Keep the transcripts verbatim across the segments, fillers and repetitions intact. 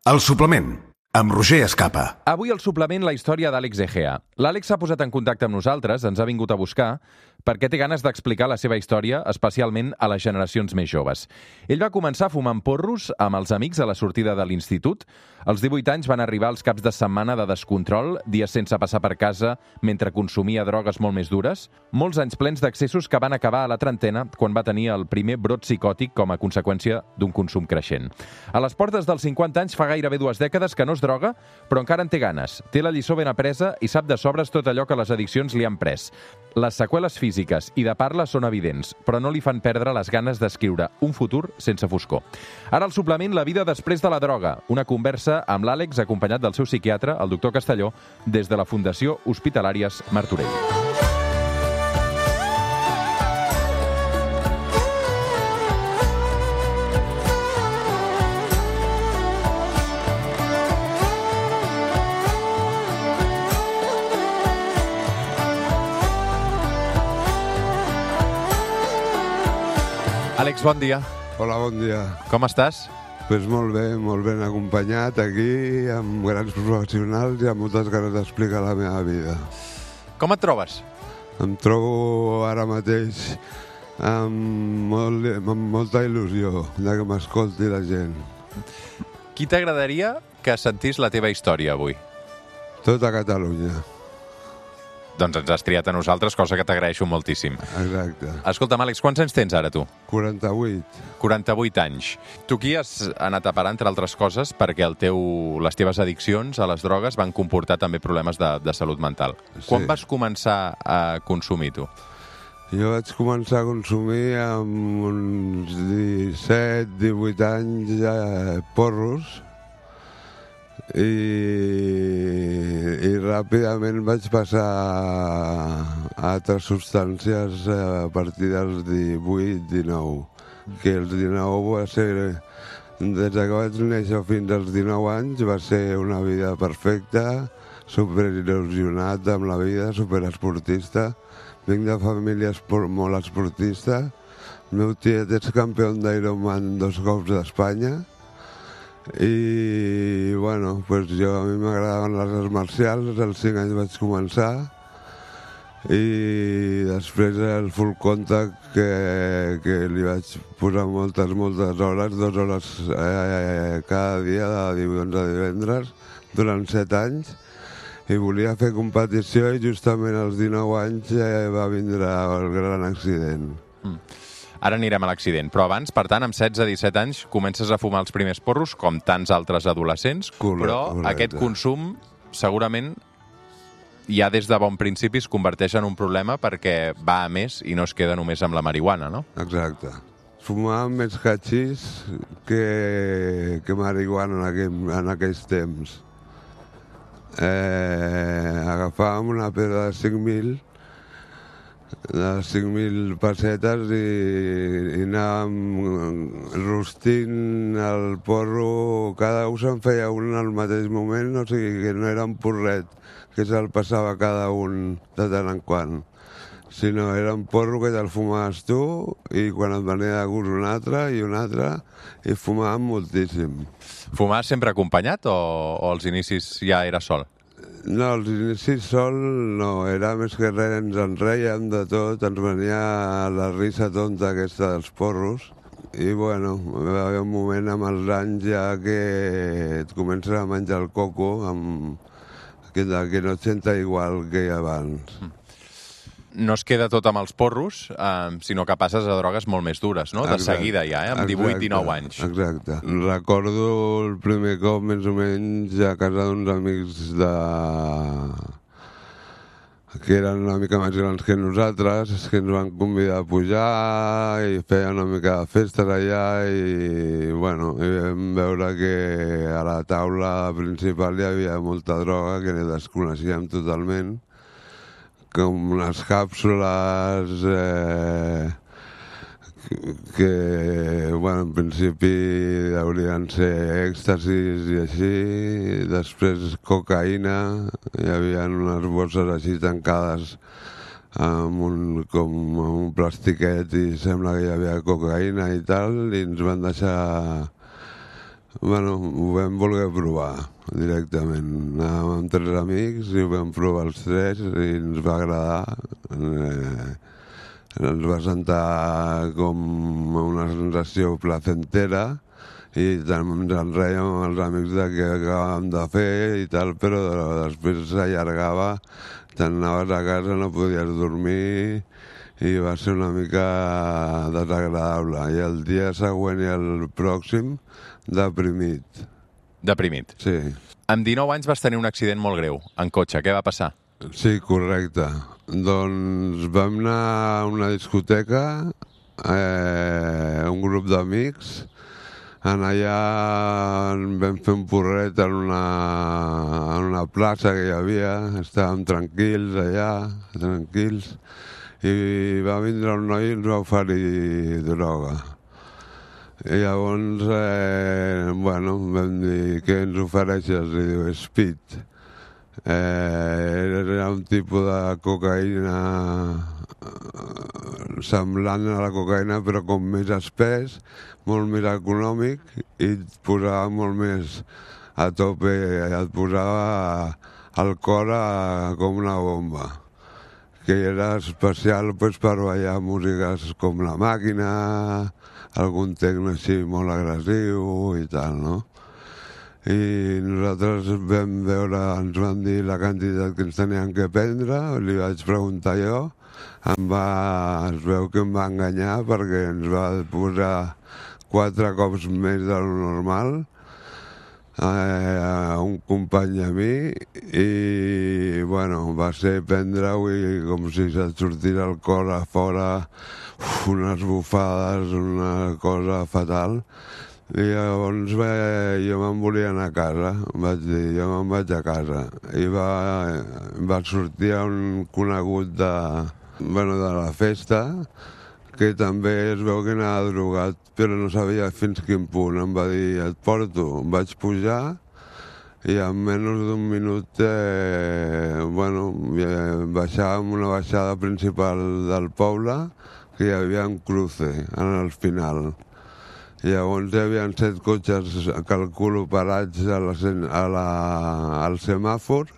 El suplement, amb Roger Escapa. Avui al suplement la història d'Àlex Egea. L'Àlex s'ha posat en contacte amb nosaltres, ens ha vingut a buscar, perquè té ganes d'explicar la seva història, especialment a les generacions més joves. Ell va començar fumant porros amb els amics a la sortida de l'institut. Als divuit anys van arribar els caps de setmana de descontrol, dies sense passar per casa, mentre consumia drogues molt més dures. Molts anys plens d'accessos que van acabar a la trentena, quan va tenir el primer brot psicòtic com a conseqüència d'un consum creixent. A les portes dels cinquanta anys fa gairebé dues dècades que no es droga, però encara en té ganes. Té la lliçó ben apresa i sap de sobres tot allò que les addiccions li han pres. Les seqüeles físiques i de parla són evidents, però no li fan perdre les ganes d'escriure un futur sense foscor. Ara el suplement La vida després de la droga, una conversa amb l'Àlex acompanyat del seu psiquiatre, el doctor Castelló, des de la Fundació Hospitalàries Martorell. Àlex, bon dia. Hola, bon dia. Com estàs? Pues molt bé, molt ben acompanyat aquí, amb grans professionals i amb moltes ganes d'explicar la meva vida. Com et trobes? Em trobo ara mateix amb, molt, amb molta il·lusió de que m'escolti la gent. Qui t'agradaria que sentís la teva història avui? Tota Catalunya. Doncs ens has triat a nosaltres, cosa que t'agraeixo moltíssim. Exacte. Escolta'm, Àlex, quants anys tens ara, tu? quaranta-vuit. quaranta-vuit anys. Tu aquí has anat a parar, entre altres coses, perquè el teu, les teves addiccions a les drogues van comportar també problemes de, de salut mental. Sí. Quan vas començar a consumir, tu? Jo vaig començar a consumir amb uns disset, divuit anys eh, porros, i, i ràpidament vaig passar a altres substàncies a partir dels divuit dinou, que els dinou va ser, des que vaig néixer fins als dinou anys, va ser una vida perfecta, superil·lusionat amb la vida, superesportista. Vinc de família esport, molt esportista. El meu tiet és campió d'Ironman dos cops d'Espanya. I, bueno, pues jo, a mi m'agradaven les arts marcials, als cinc anys vaig començar, i després el full contact que, que li vaig posar moltes, moltes hores, dues hores eh, cada dia, de dilluns a divendres, durant set anys, i volia fer competició i justament als dinou anys eh, va vindre el gran accident. Mm. Ara anirem a l'accident, però abans, per tant, amb setze a disset anys, comences a fumar els primers porros, com tants altres adolescents, Correcte, però correcte. aquest consum, segurament, ja des de bon principi es converteix en un problema perquè va a més i no es queda només amb la marihuana, no? Exacte. Fumàvem més catxís que, que marihuana en, aquell, en aquells temps. Eh, agafàvem una pedra de cinc mil de cinc mil pessetes i, i anàvem rostint el porro, cada un se'n feia un al mateix moment, o sigui que no era un porret que se'l passava cada un de tant en quant, sinó era un porro que te'l fumaves tu i quan et venia de gust un altre i un altre, i fumàvem moltíssim. Fumaves sempre acompanyat o, o als inicis ja era sol? No, als inicis sol no, era més que res, ens en rèiem de tot, ens venia la risa tonta aquesta dels porros, i bueno, va haver un moment amb els anys ja que et comences a menjar el coco, amb, que, que no et senta igual que abans. No es queda tot amb els porros, eh, sinó que passes a drogues molt més dures, no? De Exacte. Seguida ja, eh? Amb divuit dinou anys. Exacte. Recordo el primer cop, més o menys, a casa d'uns amics de... que eren una mica més grans que nosaltres, que ens van convidar a pujar i feia una mica de festes allà i, bueno, i vam veure que a la taula principal hi havia molta droga que desconeixíem totalment, com unes càpsules eh, que, bueno, en principi haurien ser èxtasis i així, després cocaïna, hi havia unes bosses així tancades amb un, com un plastiquet i sembla que hi havia cocaïna i tal, i ens van deixar Bueno, ho vam voler provar directament. Anàvem amb tres amics i ho vam provar els tres i ens va agradar. Eh, ens va sentar com una sensació placentera i tant ens en rèiem amb els amics de què acabàvem de fer i tal, però després s'allargava, te'n anaves a casa, no podies dormir i va ser una mica desagradable. I el dia següent i el pròxim, deprimit. Deprimit? Sí. Amb dinou anys vas tenir un accident molt greu, en cotxe. Què va passar? Sí, correcte. Doncs vam anar a una discoteca, eh, un grup d'amics. En allà vam fer un porret en una, en una plaça que hi havia. Estàvem tranquils allà, tranquils. I va vindre un noi i ens va oferir droga. I llavors, eh, bueno, vam dir, què ens ofereixes? I diu, speed. Eh, era un tipus de cocaïna semblant a la cocaïna, però com més espès, molt més econòmic i et posava molt més a tope, et posava el cor a, com una bomba, que era especial pues, per ballar músiques com La Màquina, algun tecno així molt agressiu i tal, no? I nosaltres vam veure, ens van dir la quantitat que ens tenien que prendre, li vaig preguntar jo, em va, es veu que em va enganyar perquè ens va posar quatre cops més de lo normal a un company a mi i, bueno, va ser prendre-ho i com si se't sortís el cor a fora, uf, unes bufades, una cosa fatal. I llavors va, jo me'n volia anar a casa, vaig dir, jo me'n vaig a casa. I va, va sortir un conegut de, bueno, de la festa, que també es veu que anava drogat, però no sabia fins quin punt. Em va dir, et porto. Em vaig pujar i en menys d'un minut, eh, bueno, baixàvem una baixada principal del poble, que hi havia un cruce en el final. I llavors hi havia set cotxes, calculo, parats a la, a la, al semàfor.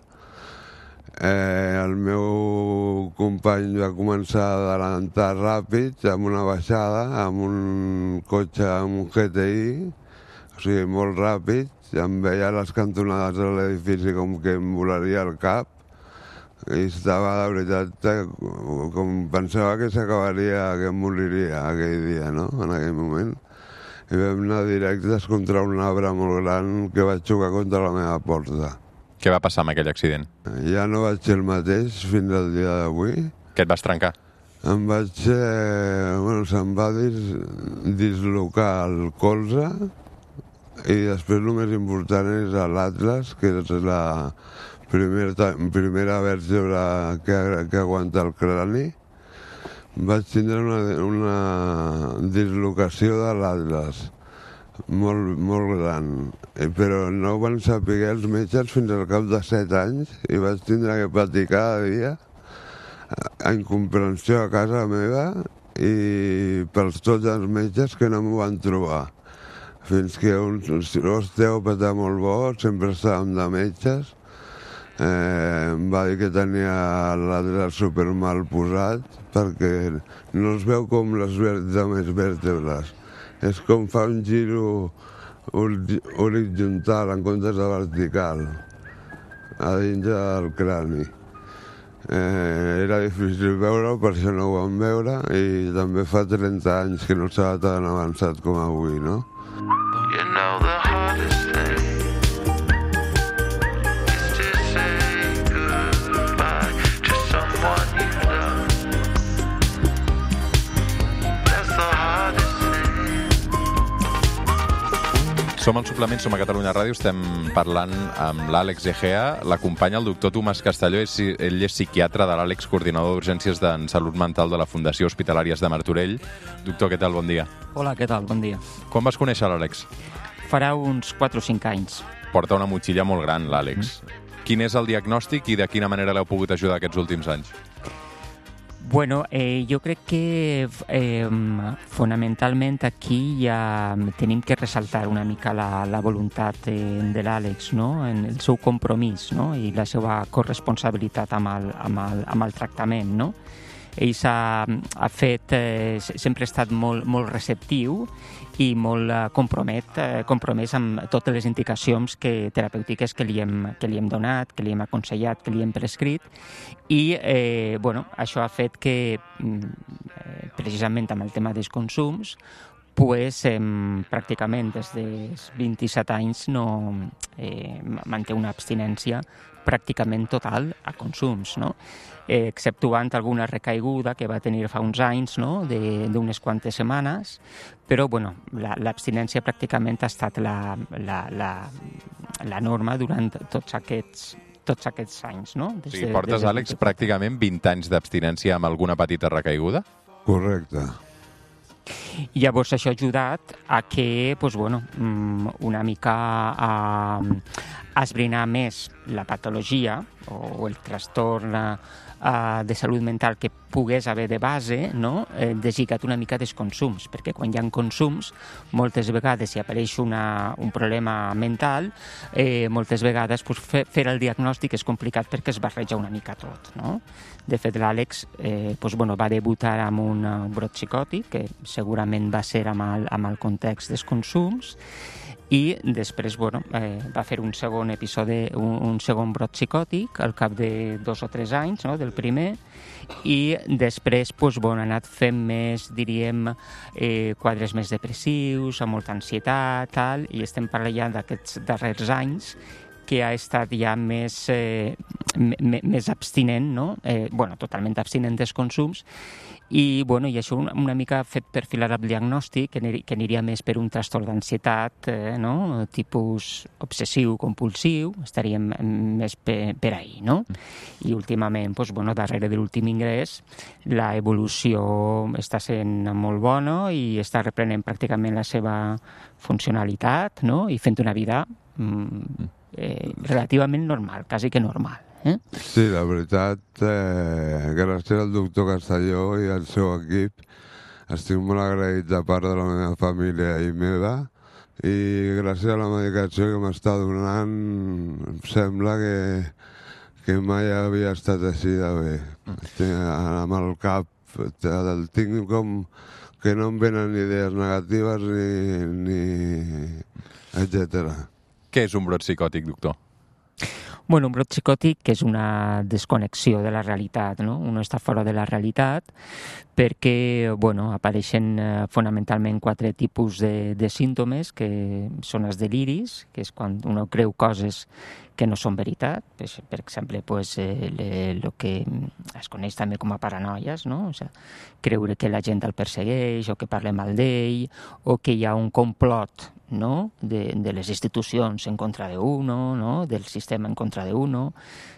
Eh, el meu company va començar a adelantar ràpid amb una baixada, amb un cotxe, amb un G T I, o sigui, molt ràpid. Em veia les cantonades de l'edifici com que em volaria el cap i estava, de veritat, com pensava que s'acabaria, que em moriria aquell dia, no?, en aquell moment. I vam anar directes contra un arbre molt gran que vaig xocar contra la meva porta. Què va passar amb aquell accident? Ja no vaig ser el mateix fins al dia d'avui. Què et vas trencar? Em vaig... Eh, bueno, se'm va dis, dislocar el colze i després el més important és l'Atlas, que és la primer, primera vèrtebra que, que aguanta el crani. Vaig tindre una, una dislocació de l'Atlas molt, molt gran, però no ho van saber els metges fins al cap de set anys i vaig tindre que patir cada dia a incomprensió a casa meva i pels tots els metges que no m'ho van trobar. Fins que un osteòpata molt bo, sempre estàvem de metges, eh, em va dir que tenia l'Atlas super mal posat perquè no es veu com les més vèrtebres. És com fa un giro horitzontal en comptes de vertical a dins del crani. Eh, era difícil veure-ho, per això no ho vam veure, i també fa trenta anys que no estava tan avançat com avui, no? You know the hardest thing is to say goodbye to someone you love. That's the hardest thing. Som al Suplement, som a Catalunya Ràdio, estem parlant amb l'Àlex Egea, l'acompanya el doctor Tomàs Castelló, ell és psiquiatre de l'Àlex, coordinador d'urgències de salut mental de la Fundació Hospitalàries de Martorell. Doctor, què tal? Bon dia. Hola, què tal? Bon dia. Quan vas conèixer l'Àlex? Farà uns quatre o cinc anys. Porta una motxilla molt gran, l'Àlex. Mm. Quin és el diagnòstic i de quina manera l'heu pogut ajudar aquests últims anys? Bueno, eh, jo crec que eh, fonamentalment aquí ja tenim que ressaltar una mica la, la voluntat eh, de l'Àlex, no? En el seu compromís, no? I la seva corresponsabilitat amb el, amb el, amb el tractament, no? Ell s'ha ha fet, eh, sempre ha estat molt, molt receptiu i molt eh, compromet, eh, compromès amb totes les indicacions que, terapèutiques que li, hem, que li hem donat, que li hem aconsellat, que li hem prescrit, i eh, bueno, això ha fet que, eh, precisament amb el tema dels consums, pues, eh, pràcticament des dels vint-i-set anys no, eh, manté una abstinència pràcticament total a consums, no? Eh, exceptuant alguna recaiguda que va tenir fa uns anys, no? d'unes quantes setmanes, però bueno, l'abstinència pràcticament ha estat la, la, la, la norma durant tots aquests tots aquests anys, no? Des de, sí, portes, Àlex, pràcticament vint anys d'abstinència amb alguna petita recaiguda? Correcte. I llavors això ha ajudat a que, pues, bueno, una mica a, a esbrinar més la patologia o el trastorn uh, de salut mental que pogués haver de base, no? eh, deslligat una mica dels consums, perquè quan hi ha consums, moltes vegades si apareix una, un problema mental, eh, moltes vegades pues, fer, fer el diagnòstic és complicat perquè es barreja una mica tot, no? De fet, l'Àlex eh, pues, bueno, va debutar amb un, un brot psicòtic, que segurament va ser amb el, amb el context dels consums, i després bueno, eh, va fer un segon episodi, un, un segon brot psicòtic al cap de dos o tres anys, no, del primer, i després pues, bueno, ha anat fent més, diríem, eh, quadres més depressius, amb molta ansietat, tal, i estem parlant d'aquests darrers anys que ha estat ja més, eh, més abstinent, no? eh, bueno, totalment abstinent dels consums, i, bueno, i això una, una mica fet perfilar el diagnòstic, que, que aniria més per un trastorn d'ansietat, eh, no? Tipus obsessiu-compulsiu, estaríem més per, per ahí, no? I últimament, doncs, bueno, darrere de l'últim ingrés, la evolució està sent molt bona i està reprenent pràcticament la seva funcionalitat, no? I fent una vida mm, eh, relativament normal, quasi que normal. Eh? Sí, la veritat, eh, gràcies al doctor Castelló i al seu equip, estic molt agraït de part de la meva família i meva, i gràcies a la medicació que m'està donant, em sembla que, que mai havia estat així de bé. Estic amb el cap, el tinc com que no em venen idees negatives ni, ni etcètera. Què és un brot psicòtic, doctor? Bueno, un brot psicòtic és una desconnexió de la realitat, no? Un està fora de la realitat perquè, bueno, apareixen eh, fonamentalment quatre tipus de, de símptomes, que són els deliris, que és quan un creu coses que no són veritat, per, per exemple, pues, eh, le, lo que es coneix també com a paranoies, no? O sigui, creure que la gent el persegueix o que parla mal d'ell o que hi ha un complot, no? de, de les institucions en contra d'uno, no? Del sistema en contra d'uno.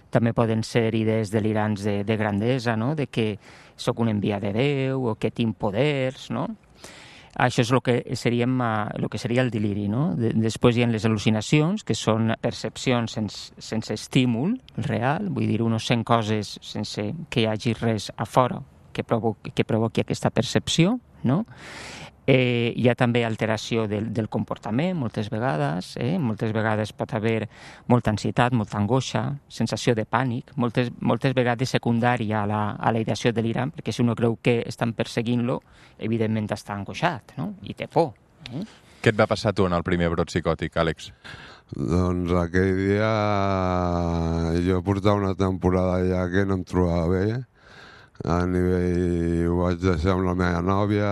També poden ser idees delirants de, de grandesa, no? De que sóc un enviat de Déu o que tinc poders, no? Això és el que, seríem, el que seria el deliri, no? De, després hi ha les al·lucinacions, que són percepcions sense, sense estímul real, vull dir, uno sent coses sense que hi hagi res a fora que provoqui, que provoqui aquesta percepció, no? Eh, hi ha també alteració del, del comportament, moltes vegades, eh? moltes vegades pot haver molta ansietat, molta angoixa, sensació de pànic, moltes, moltes vegades secundària a la, a la ideació delirant, perquè si uno creu que estan perseguint-lo, evidentment està angoixat, no? I té por. Eh? Què et va passar tu en el primer brot psicòtic, Àlex? Doncs aquell dia jo portava una temporada ja que no em trobava bé, a nivell ho vaig deixar amb la meva nòvia.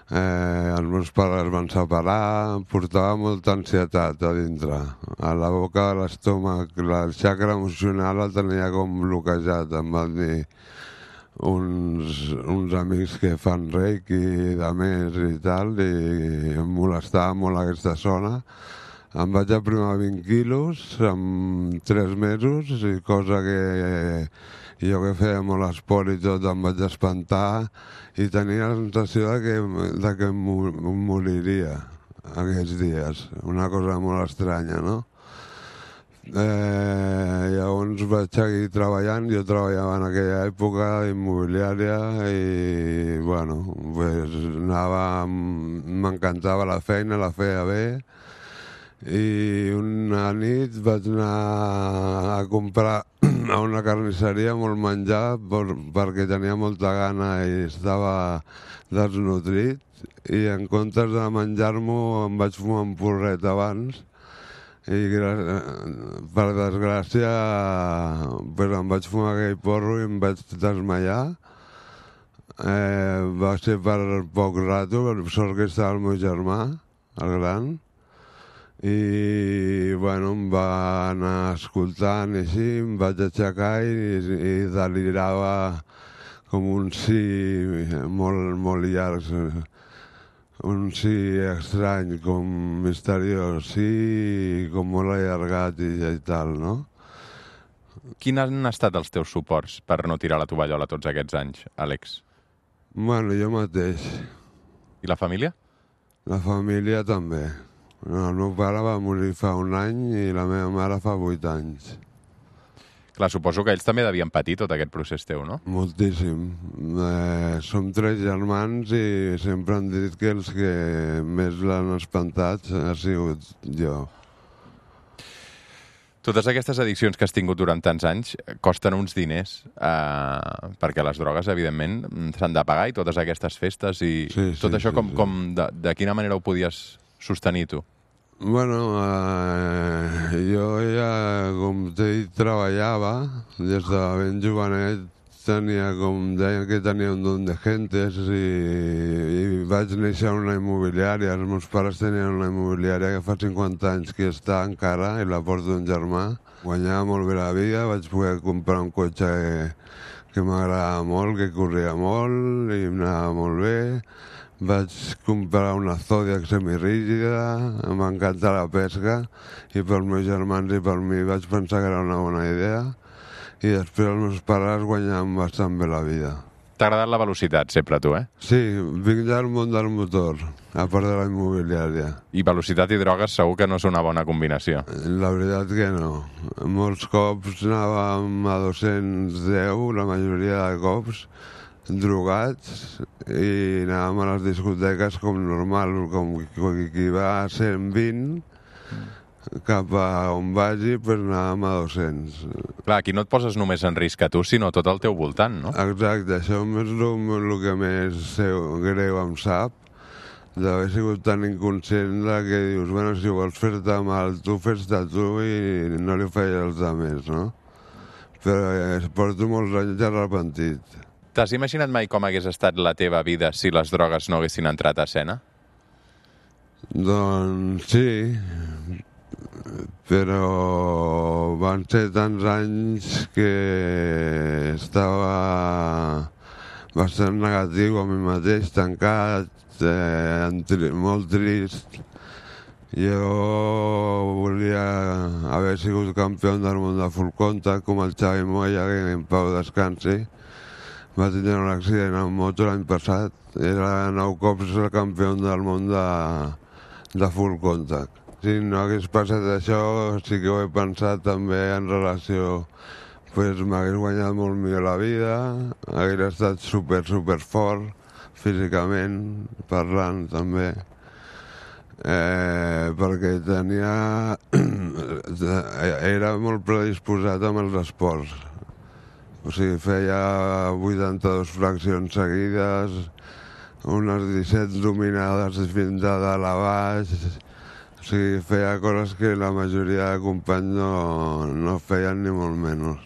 Eh, els meus pares van separar, em portava molta ansietat a dintre. A la boca de l'estómac, el xacra emocional el tenia com bloquejat. Em van dir uns, uns amics que fan reiki i de més i tal, i em molestava molt aquesta zona. Em vaig aprimar vint quilos en tres mesos, i cosa que jo que feia molt esport i tot em vaig espantar i tenia la sensació de que, de que em moriria aquests dies. Una cosa molt estranya, no? Eh, llavors vaig seguir treballant, jo treballava en aquella època immobiliària i, bueno, pues anava, m'encantava la feina, la feia bé, i una nit vaig anar a comprar a una carnisseria molt menjar per, perquè tenia molta gana i estava desnutrit, i en comptes de menjar-m'ho em vaig fumar un porret abans i per desgràcia pues em vaig fumar aquell porro i em vaig desmaiar. Eh, va ser per poc rato, per sort que estava el meu germà, el gran, i bueno, em va anar escoltant i així, em vaig aixecar i, i delirava com un sí molt, molt llarg, un sí estrany, com misteriós, sí, com molt allargat i, i tal, no? Quins han estat els teus suports per no tirar la tovallola tots aquests anys, Àlex? Bueno, jo mateix. I la família? La família també. El meu pare va morir fa un any i la meva mare fa vuit anys. Clar, suposo que ells també devien patir tot aquest procés teu, no? Moltíssim. Eh, som tres germans i sempre han dit que els que més l'han espantat ha sigut jo. Totes aquestes addiccions que has tingut durant tants anys costen uns diners, eh, perquè les drogues, evidentment, s'han de pagar, i totes aquestes festes i sí, tot sí, això, sí, com, sí. com de, de quina manera ho podies sostenir tu? Bueno, eh, jo ja, com t'he dit, treballava des de ben jovenet. Tenia, com deien, que tenia un don de gentes i, i vaig néixer en una immobiliària. Els meus pares tenien una immobiliària que fa cinquanta anys que està encara i la porta un germà. Guanyava molt bé la vida, vaig poder comprar un cotxe que, que m'agradava molt, que corria molt i m'anava molt bé. Vaig comprar una Zodiac semirígida, m'encanta la pesca i pels meus germans i per mi vaig pensar que era una bona idea. I després els meus pares guanyaven bastant bé la vida. T'ha agradat la velocitat, sempre, tu, eh? Sí, vinc del món del motor, a part de la immobiliària. I velocitat i drogues segur que no és una bona combinació. La veritat que no. Molts cops anàvem a dos-cents deu, la majoria de cops, drogats, i anàvem a les discoteques com normal, com qui va a cent vint, cap a on vagi, pues anàvem a dos-cents. Clar, aquí no et poses només en risc a tu, sinó tot al teu voltant, no? Exacte, això és el que més greu em sap, d'haver sigut tan inconscient que dius, bueno, si vols fer-te mal, tu fes-te tu i no li faig als altres, no? Però eh, porto molts anys arrepentit. T'has imaginat mai com hagués estat la teva vida si les drogues no haguessin entrat a escena? Doncs sí, però van ser tants anys que estava bastant negatiu a mi mateix, tancat, eh, tri molt trist. Jo volia haver sigut campió del món de full contact, com el Xavi Moya, que en pau descansi. Va tenir un accident amb moto l'any passat. Era nou cops el campió del món de, de full contact. Si no hagués passat això, sí que ho he pensat també en relació, pues m'hagués guanyat molt millor la vida, hagués estat super, super fort, físicament, parlant també, eh, perquè tenia... era molt predisposat amb els esports. O sigui, feia vuitanta-dues flexions seguides, unes disset dominades fins a dalt a baix. O sigui, feia coses que la majoria de companys no, no feien ni molt menys.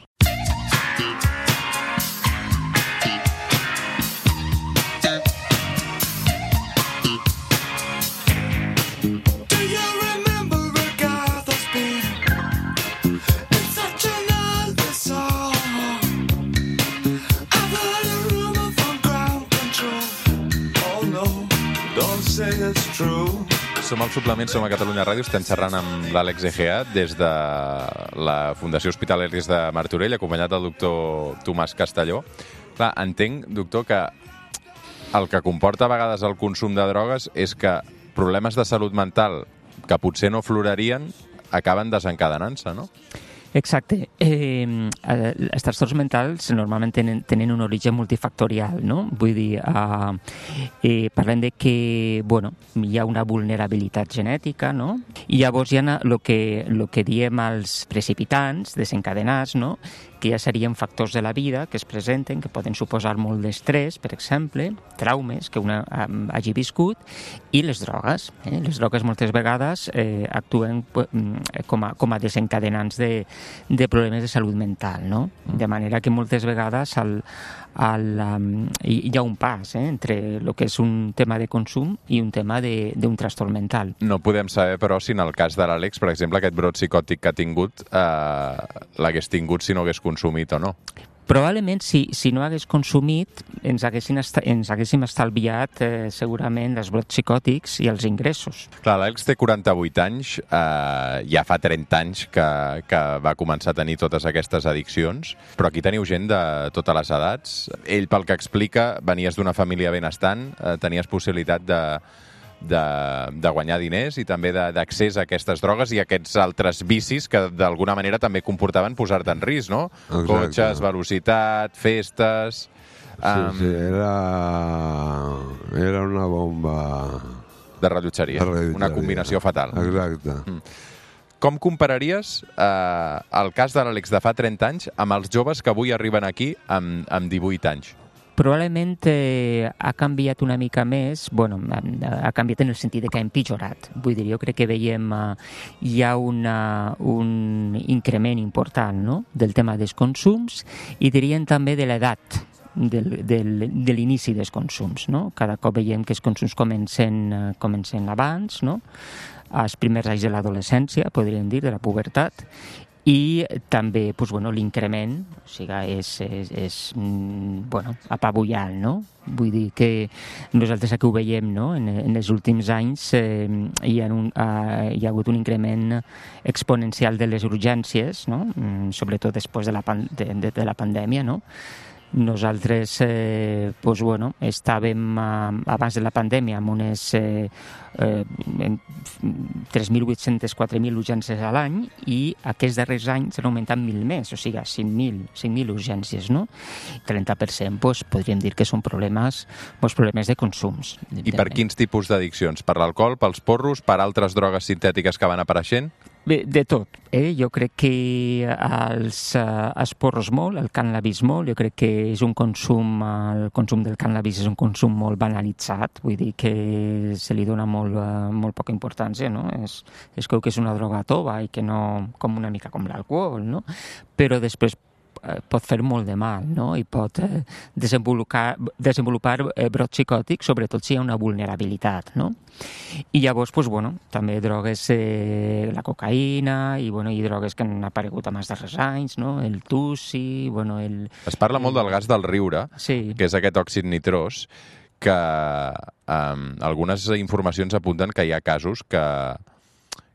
Som al Suplement, som a Catalunya Ràdio, estem xerrant amb l'Àlex Egea des de la Fundació Hospitalaris de Martorell, acompanyat del doctor Tomàs Castelló. Clar, entenc, doctor, que el que comporta a vegades el consum de drogues és que problemes de salut mental que potser no florarien acaben desencadenant-se, no? Exacte. Eh, els trastorns mentals normalment tenen, tenen un origen multifactorial, no? Vull dir, eh, eh, parlem de que, bueno, hi ha una vulnerabilitat genètica, no? I llavors hi ha el que, lo que diem els precipitants, desencadenats, no? Que ja serien factors de la vida que es presenten, que poden suposar molt d'estrès, per exemple, traumes que una um, hagi viscut, i les drogues. Eh? Les drogues moltes vegades eh, actuen com a, com a desencadenants de, de problemes de salut mental, no? De manera que moltes vegades el, el, um, hi ha un pas eh, entre el que és un tema de consum i un tema d'un trastorn mental. No podem saber, però, si en el cas de l'Àlex, per exemple, aquest brot psicòtic que ha tingut, eh, l'hagués tingut si no hagués consumit o no. Probablement, si, si no hagués consumit, ens, ens haguéssim estalviat eh, segurament els brots psicòtics i els ingressos. Clar, l'Àlex té quaranta-vuit anys, eh, ja fa trenta anys que, que va començar a tenir totes aquestes addiccions, però aquí teniu gent de totes les edats. Ell, pel que explica, venies d'una família benestant, eh, tenies possibilitat de... De, de guanyar diners i també d'accés a aquestes drogues i a aquests altres vicis que d'alguna manera també comportaven posar-te en risc, no? Exacte. Cotxes, velocitat, festes... Sí, um... sí, era... era una bomba... De rellotgeria, de rellotgeria. Una combinació fatal. Exacte. Mm. Com compararies eh, el cas de l'Àlex de fa trenta anys amb els joves que avui arriben aquí amb, amb divuit anys? Probablement eh, ha canviat una mica més, bueno, ha canviat en el sentit de que ha empitjorat. Vull dir, jo crec que veiem eh, hi ha una, un increment important, no?, del tema dels consums i dirien també de l'edat del, del, de l'inici dels consums, no? Cada cop veiem que els consums comencen, comencen abans, no?, als primers anys de l'adolescència, podríem dir, de la pubertat, i també doncs, bueno, l'increment, o sigui, és, és, és bueno, apabullant, no? Vull dir que nosaltres aquí ho veiem, no? En, en els últims anys eh, hi, ha un, eh, hi ha hagut un increment exponencial de les urgències, no? Sobretot després de la, pan de, de, de la pandèmia, no? Nosaltres eh, doncs, bueno, estàvem eh, abans de la pandèmia amb unes eh, eh, tres mil vuit-cents a quatre mil urgències a l'any i aquests darrers anys han augmentat mil més, o sigui, cinc mil urgències, no? trenta per cent doncs, podríem dir que són problemes, doncs, problemes de consums. I per quins tipus d'addiccions? Per l'alcohol, pels porros, per altres drogues sintètiques que van apareixent? Bé, de tot. Eh? Jo crec que els, uh, els porros molt, el cànnabis molt, jo crec que és un consum, el consum del cànnabis és un consum molt banalitzat, vull dir que se li dona molt, uh, molt poca importància, no? Es, es creu que és una droga tova i que no, com una mica com l'alcohol, no? Però després pot fer molt de mal, no? I pot eh, desenvolupar, desenvolupar eh, brots psicòtics, sobretot si hi ha una vulnerabilitat, no? I llavors, doncs, bueno, també drogues, eh, la cocaïna i, bueno, i drogues que han aparegut en els darrers anys, no? El tussi, bueno, el... Es parla molt del gas del riure, sí, que és aquest òxid nitrós, que um, algunes informacions apunten que hi ha casos que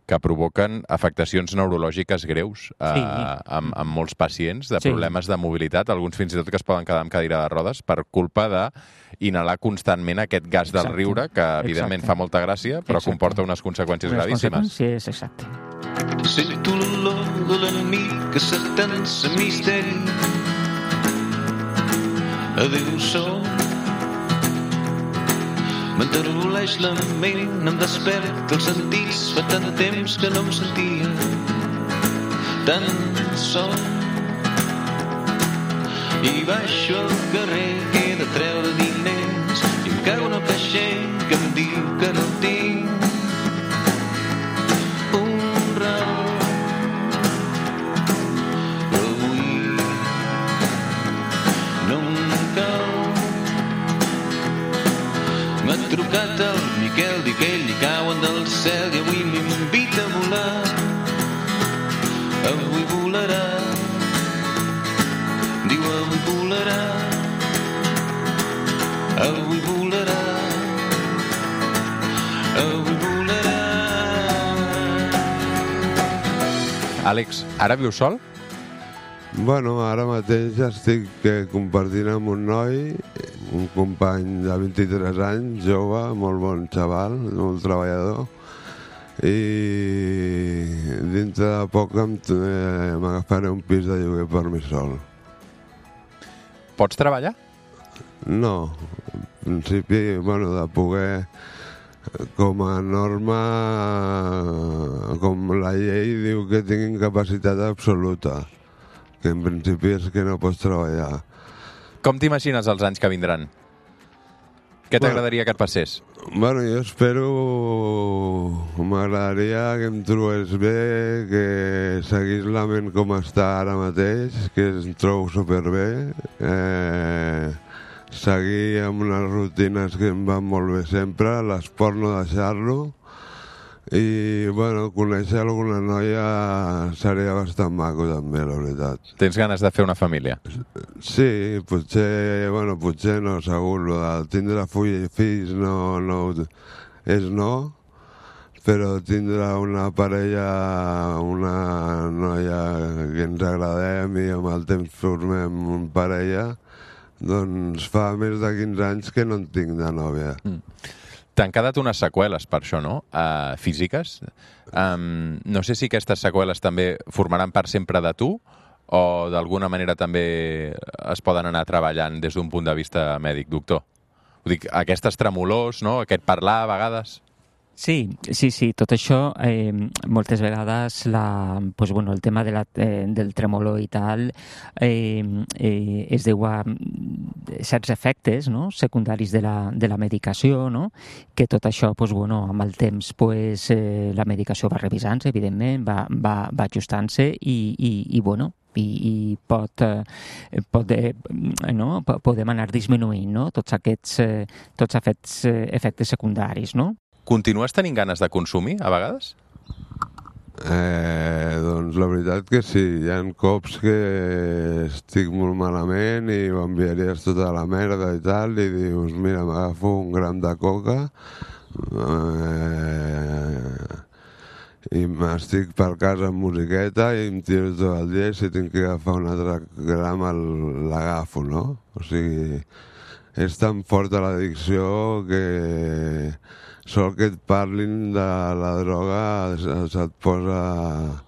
que provoquen afectacions neurològiques greus eh, sí. amb, amb molts pacients, de problemes sí. de mobilitat, alguns fins i tot que es poden quedar amb cadira de rodes per culpa d'inhalar constantment aquest gas del exacte. riure, que evidentment exacte. fa molta gràcia, però exacte. comporta unes conseqüències unes gravíssimes. Conseqüències, exacte. Sento l'olor de l'enemic que s'atensa misteri. Adéu sol. M'enterboleix la ment, em desperta els sentits, fa tant temps que no em sentia tan sol. I baixo al carrer que he de treure diners i em cago en el caixer que em diu que no tinc un raó. Però avui no em cau. M'ha trucat el Miquel, diu que ell li cauen del cel i avui m'invita a volar. Avui volarà, diu avui volarà, avui volarà, avui volarà. Àlex, ara vius sol? Bueno, ara mateix ja estic eh, compartint amb un noi, un company de vint-i-tres anys, jove, molt bon xaval, molt treballador, i dintre de poc m'agafaré un pis de lloguer per mi sol. Pots treballar? No, en principi, bueno, de poder, com a norma, com la llei diu que tinc incapacitat absoluta, que en principi és que no pots treballar. Com t'imagines els anys que vindran? Què t'agradaria que et passés? Bueno, jo espero... M'agradaria que em trobés bé, que seguís la ment com està ara mateix, que em trobo superbé. Eh, seguir amb unes rutines que em van molt bé sempre, l'esport no deixar-lo. I, bueno, conèixer alguna noia seria bastant maco també, la veritat. Tens ganes de fer una família? Sí, potser, bueno, potser no, segur. Lo de tindre fills no, no, és no, però tindre una parella, una noia que ens agradem i amb el temps formem una parella, doncs fa més de quinze anys que no en tinc de nòvia. Mm. T'han quedat unes seqüeles per això, no? Uh, físiques. Um, no sé si aquestes seqüeles també formaran part sempre de tu o d'alguna manera també es poden anar treballant des d'un punt de vista mèdic, doctor. Ho dic, aquestes tremolors, no? Aquest parlar a vegades... Sí, sí, sí, tot això, eh, moltes vegades la, pues, bueno, el tema de la, eh, del tremolor i tal eh, eh, es deu a certs efectes, no?, secundaris de la, de la medicació, no?, que tot això, pues, bueno, amb el temps pues, eh, la medicació va revisant-se, evidentment, va, va, va ajustant-se i, i, i bueno, i, i pot, eh, pot eh, no? podem anar disminuint, no?, tots aquests, eh, tots aquests eh, efectes secundaris, no? Continues tenint ganes de consumir, a vegades? Eh, doncs la veritat que sí. Hi ha cops que estic molt malament i m'enviaries tota la merda i tal, i dius, mira, m'agafo un gram de coca eh, i m'estic per casa amb musiqueta i em tiro tot el dia, i si tinc que agafar un altre gram l'agafo, no? O sigui, és tan forta l'addicció que... sol que et parlin de la droga se't posa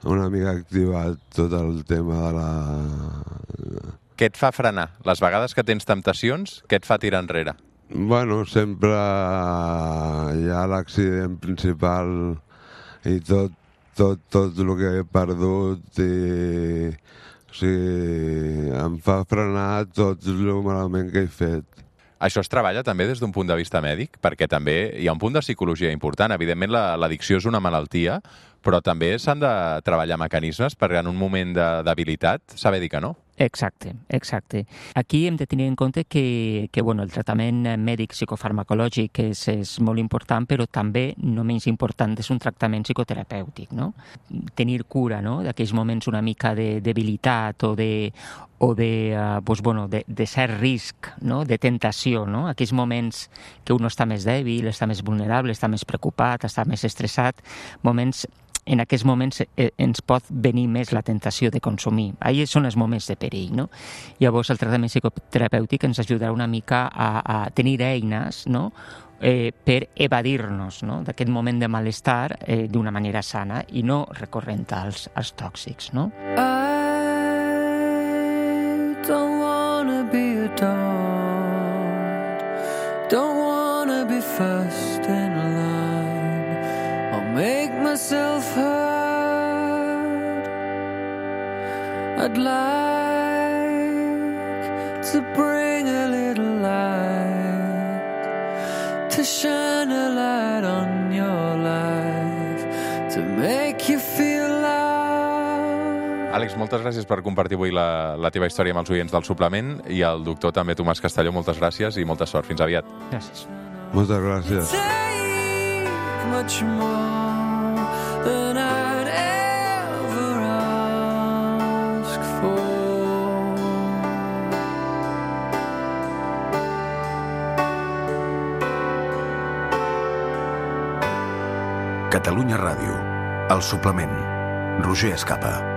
una mica activat tot el tema de la... Què et fa frenar? Les vegades que tens temptacions, què et fa tirar enrere? Bueno, sempre hi ha l'accident principal i tot, tot, tot el que he perdut i... O sigui, em fa frenar tot el malament que he fet. Això es treballa també des d'un punt de vista mèdic? Perquè també hi ha un punt de psicologia important. Evidentment, l'addicció és una malaltia, però també s'han de treballar mecanismes perquè en un moment de debilitat saber dir que no. Exacte, exacte. Aquí hem de tenir en compte que, que bueno, el tractament mèdic psicofarmacològic és, és molt important, però també no menys important és un tractament psicoterapèutic, no? Tenir cura, no?, d'aquells moments una mica de debilitat o de, o de, uh, pues, bueno, de, de cert risc, no?, de tentació, no?, aquells moments que un està més dèbil, està més vulnerable, està més preocupat, està més estressat, moments... En aquests moments eh, ens pot venir més la tentació de consumir. Ahí són els moments de perill, no? Llavors, el tractament psicoterapèutic ens ajudarà una mica a, a tenir eines, no?, eh, per evadir-nos, no?, d'aquest moment de malestar eh, d'una manera sana i no recorrent als, als tòxics, no? I don't wanna be a dog, don't wanna be first in line. Make myself heard. I'd like to bring a little light, to shine a light on your life, to make you feel loved. Àlex, moltes gràcies per compartir avui la, la teva història amb els oients del suplement, i al doctor també Tomàs Castelló, moltes gràcies i molta sort. Fins aviat. Gràcies. Moltes gràcies. Much more than I'd ever ask for. Catalunya Ràdio, El Suplement, Roger Escapa.